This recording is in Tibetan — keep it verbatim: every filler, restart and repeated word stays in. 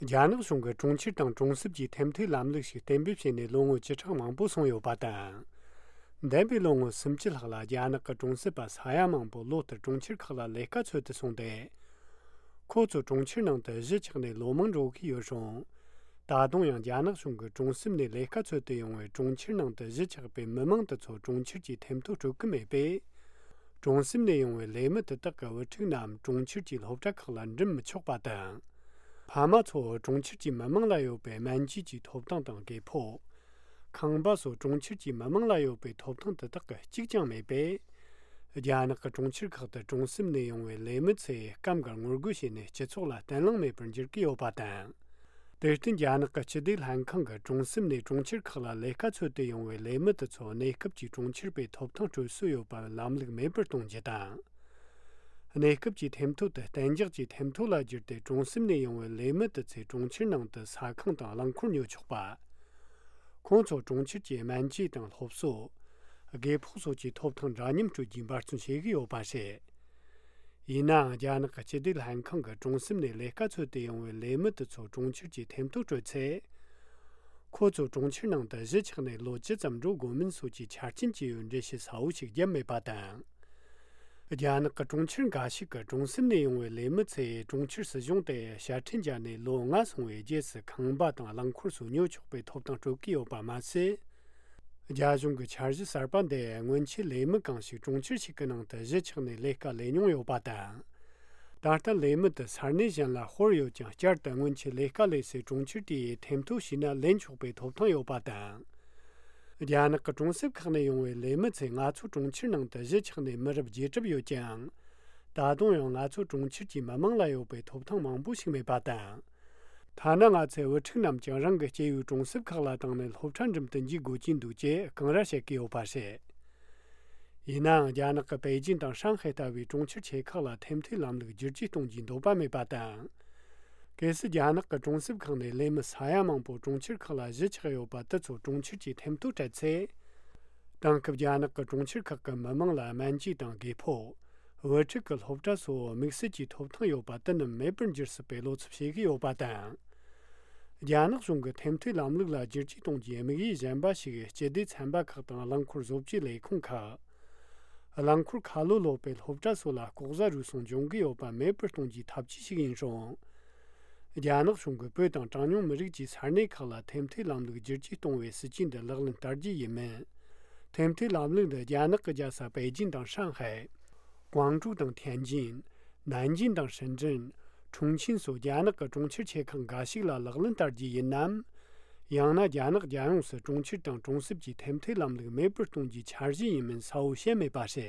རྒྱ་ནག་གཞུང་གིས་གྲོང་ཁྱེར་དང་གྲོང་གསེབ་ཀྱི་ཐེམ་ཐོའི་ལམ་ལུགས་ཤིག་གཏན་འབེབས་བྱས་ནས་ལོ་ངོ་བཅུ་ཕྲག་མང་པོ་སོང་ཡོད་པ་དང་། འདས་པའི་ལོ་ངོ་སུམ་ཅུ་ལྷག་ལ་རྒྱ་ནག་གི་གྲོང་གསེབ་པ་ས་ཡ་མང་པོ་ལོ་ལྟར་གྲོང་ཁྱེར་ཁག་ལ་ལས་ཀ་འཚོལ་དུ་སོང་སྟེ། ཁོ་ཚོ་གྲོང་ཁྱེར་ནང་དུ་གཞིས་ཆགས་ནས་ལོ་མང་འགྲོ་གི་ཡོད་རུང་། ད་དུང་ཡང་རྒྱ་ནག་གཞུང་གིས་གྲོང་གསེབ་ནས་ལས་ཀ་འཚོལ་དུ་ཡོང་བའི་གྲོང་ཁྱེར་ནང་དུ་གཞིས་ཆགས་པའི་མི་མང་དེ་ཚོ་གྲོང་ཁྱེར་གྱི་ཐེམ་ཐོ་སྤྲོད་ཀྱི་མེད་པས། གྲོང་གསེབ་ནས་ཡོང་བའི་ལས་མི་དེ་དག་གི་བུ་ཕྲུག་རྣམས་གྲོང་ཁྱེར་གྱི་སློབ་གྲྭ་ཁག་ལ་འགྲིམ་མི་ཆོག་པ་དང་། ཕ་མ་ཚོ་གྲོང་ཁྱེར་གྱི་མི་མང་ལ་ཡོད་པའི་སྨན་བཅོས་ཀྱི་ཐོབ་ཐང་དང་དགོས་མཁོ། ཁང་པ་སོགས་གྲོང་ཁྱེར་གྱི་མི་མང་ལ་ཡོད་པའི་ཐོབ་ཐང་དེ་དག་གི་གཅིག་ཀྱང་མེད་པས། རྒྱ་ནག་གི་གྲོང་ཁྱེར་ཁག་ཏུ་གྲོང་གསེབ་ནས་ཡོང་བའི་ལས་མི་ཚོས་སྐབས་འགར་ངོ་རྒོལ་བྱས་ནས་སྤྱི་ཚོགས་ལ་བརྟན་ལྷིང་མེད་པར་འགྱུར་གྱི་ཡོད་པ་དང་། དེར་བརྟེན་རྒྱ་ནག་གི་སྤྱི་བདེ་ལྷན་ཁང་གིས་གྲོང་གསེབ་ནས་གྲོང་ཁྱེར་ཁག་ལ་ལས་ཀ་འཚོལ་དུ་ཡོང་བའི་ལས་མི་དེ་ཚོ་གནས་སྐབས་ཀྱི་གྲོང་ཁྱེར་པའི་ཐོབ་ཐང་སྤྲོད་སྲོལ་ཡོད་པ་ལམ་ལུགས་མེད་པར་གཏོང་རྒྱུ་དང་། གནས་སྐབས་ཀྱི་ཐེམ་ཐོ་དེ་གཏན་འཇགས་ཀྱི་ཐེམ་ཐོ་ལ་བསྒྱུར་ཏེ་གྲོང་གསེབ་ནས་ཡོང་བའི་ལས་མི་དེ་ཚོས་གྲོང་ཁྱེར་ནང་དུ་ཟ་ཁང་དང་རླངས་འཁོར་ཉོ་ཆོག་པ། ཁོང་ཚོ་གྲོང་ཁྱེར་གྱི་སྨན་བཅོས་དང་སློབ་གསོ། དགོས་ཕོགས་སོགས་ཀྱི་ཐོབ་ཐང་འདྲ་མཉམ་སྤྲོད་རྒྱུའི་འབད་བརྩོན་བྱེད་ཀྱི་ཡོད་པ་རེད། ཡིན་ནའང་རྒྱ་ནག་གི་སྤྱི་བདེ་ལྷན་ཁང་གིས་གྲོང་གསེབ་ནས་ལས་ཀ་འཚོལ་དུ་ཡོང་བའི་ལས་མི་དེ་ཚོ་གྲོང་ཁྱེར་གྱི་ཐེམ་ཐོ་སྤྲོད་ཚེ། ཁོ་ཚོ་གྲོང་ཁྱེར་ནང་དུ་གཞིས་ཆགས་ནས་ལོ་བཅུ་ཙམ་འགྲོ་དགོས་མིན་སོགས་ཀྱི་ཆ་རྐྱེན་བཅས་ཡོད་འགྲེལ་བཤད་གསལ་བོ་ཞིག་བརྒྱབ་མེད་པ་དང་། རྒྱ་ནག་གི་གྲོང་ཁྱེར་འགའ་ཞིག་གི་གྲོང་གསེབ་ནས་ཡོང་བའི་ལས་མི་ཚོས་གྲོང་ཁྱེར་སྲིད་གཞུང་དེ་ཞལ་འཕྲིན་བརྒྱབ་ནས་ལོ་ལྔ་སོང་བའི་རྗེས་སུ་ཁང་པ་དང་རླངས་འཁོར་སོགས་ཉོ་ཆོག་པའི་ཐོབ་ཐང་སྤྲོད་ཀྱི་ཡོད་པ་མ་ཟད། རྒྱ་གཞུང་གི་འཆར་གཞི་གསར་པ་འདིས་སྔོན་ཆད་ལས་མི་གང་ཞིག་གྲོང་ཁྱེར་ཞིག་གི་ནང་དུ་གཞིས་ཆགས་ནས་ལས་ཀ་ལས་མྱོང་ཡོད་པ་དང་། ད་ལྟ་ལས་མི་དེ་ས་གནས་གཞན་ལ་སྤོར་ཡོད་ཀྱང་བསྐྱར་དུ་སྔོན་ཆད་ལས་ཀ་ལས་སའི་གྲོང་ཁྱེར་དེའི་ཐེམ་ཐོ་ཞུས་ན་ལེན་ཆོག་པའི་ཐོབ་ཐང་ཡོད་པ་དང་། རྒྱ་ནག་གི་གྲོང་གསེབ་ཁག་ནས་ཡོང་བའི་ལས་མི་ཚོས་ང་ཚོ་གྲོང་ཁྱེར་ནང་དུ་གཞིས་ཆགས་ནས་མི་རབས་བརྒྱད་གྲབས་ཡོད་ཀྱང་། ད་དུང་ཡང་ང་ཚོ་གྲོང་ཁྱེར་གྱི་མི་མང་ལ་ཡོད་པའི་ཐོབ་ཐང་མང་པོ་ཞིག་མེད་པ་དང་། ཐ་ན་ང་ཚོའི་བུ་ཕྲུག་རྣམས་ཀྱང་རང་གི་སྐྱེས་པའི་གྲོང་གསེབ་ཁག་ལ་བཏང་ནས་སློབ་གྲྭ་འགྲིམ་དུ་འཇུག་དགོས་ཀྱིན་འདུག་ཅེས་གང་ར་བཤད་ཀྱི་ཡོད་པ་རེད། ཡིན་ནའང་རྒྱ་ནག་གི་པེ་ཅིན་དང་ཧྲང་ཧའེ་ལྟ་བུའི་གྲོང་ཁྱེར་ཆེ་ཁག་ལ་ཐེམ་ཐོའི་ལམ་ལུགས་བསྒྱུར་བཅོས་གཏོང་རྒྱུའི་འདོད་པ་མེད་པ་དང་། གལ་སྲིད་རྒྱ་ནག་གི་གྲོང་གསེབ་ཁག་ནས་ལས་མི་ས་ཡ་མང་པོ་གྲོང་ཁྱེར་ཁག་ལ་གཞིས་ཆགས་ཡོད་པ་དེ་ཚོ་གྲོང་ཁྱེར་གྱི་ཐེམ་ཐོ་སྤྲད་ཚེ། དེང་སྐབས་རྒྱ་ནག་གི་གྲོང་ཁྱེར་ཁག་གི་མི་མང་ལ་སྨན་བཅོས་དང་དགོས་ཕོགས། བུ་ཕྲུག་གི་སློབ་གྲྭ་སོགས་དམིགས་བསལ་གྱི་ཐོབ་ཐང་ཡོད་པ་དེ་རྣམས་མེད་པར་འགྱུར་སྲིད་པའི་བློ་འཚབ་བྱེད་ཀྱི་ཡོད་པ་དང་། རྒྱ་ནག་གཞུང་གིས་ཐེམ་ཐོའི་ལམ་ལུགས་ལ་བསྒྱུར་བཅོས་གཏོང་རྒྱུའི་དམིགས་ཡུལ་གཞན་པ་ཞིག་སྤྱི་བདེ་ཚན་པ་ཁག་དང་རླངས་འཁོར་བཟོ་བཅོས་ལས་ཁུངས་ཁག་རླངས་འཁོར་ཁ་ལོ་ལོག་པའི་སློབ་གྲྭ་སོགས་ལ་ལྐོག་ཟ་རུལ་སུངས་འབྱུང་གི་ཡོད་པ་མེད་པར་གཏོང་རྒྱུའི་ཐབས་ཇུས་ཤིག་ཡིན་རུང་། རྒྱ་ནག་གཞུང་གིས་བོད་དང་གྲངས་ཉུང་མི་རིགས་ཀྱི་ས་གནས་ཁག་ལ་ཐེམ་ཐོའི་ལམ་ལུགས་བསྒྱུར་བཅོས་གཏོང་བའི་སྲིད་ཇུས་འདི་ལག་ལེན་བསྟར་རྒྱུ་ཡིན་མིན། ཐེམ་ཐོའི་ལམ་ལུགས་འདི་རྒྱ་ནག་གི་རྒྱལ་ས་པེ་ཅིན་དང་ཧྲང་ཧའེ། ཀོང་ཀྲོའུ་དང་ཐེན་ཅིན། ནན་ཅིན་དང་ཧྲིན་ཀྲིན། ཁྲུང་ཆིན་སོགས་རྒྱ་ནག་གི་གྲོང་ཁྱེར་ཆེ་ཁག་འགའ་ཞིག་ལ་ལག་ལེན་བསྟར་རྒྱུ་ཡིན་ནམ། ཡང་ན་རྒྱ་ནག་རྒྱལ་ཡོངས་སུ་གྲོང་ཁྱེར་དང་གྲོང་གསེབ་ཀྱི་ཐེམ་ཐོའི་ལམ་ལུགས་མེད་པར་གཏོང་རྒྱུའི་འཆར་གཞི་ཡིན་མིན་གསལ་བོ་བཤད་མེད་པ་རེད།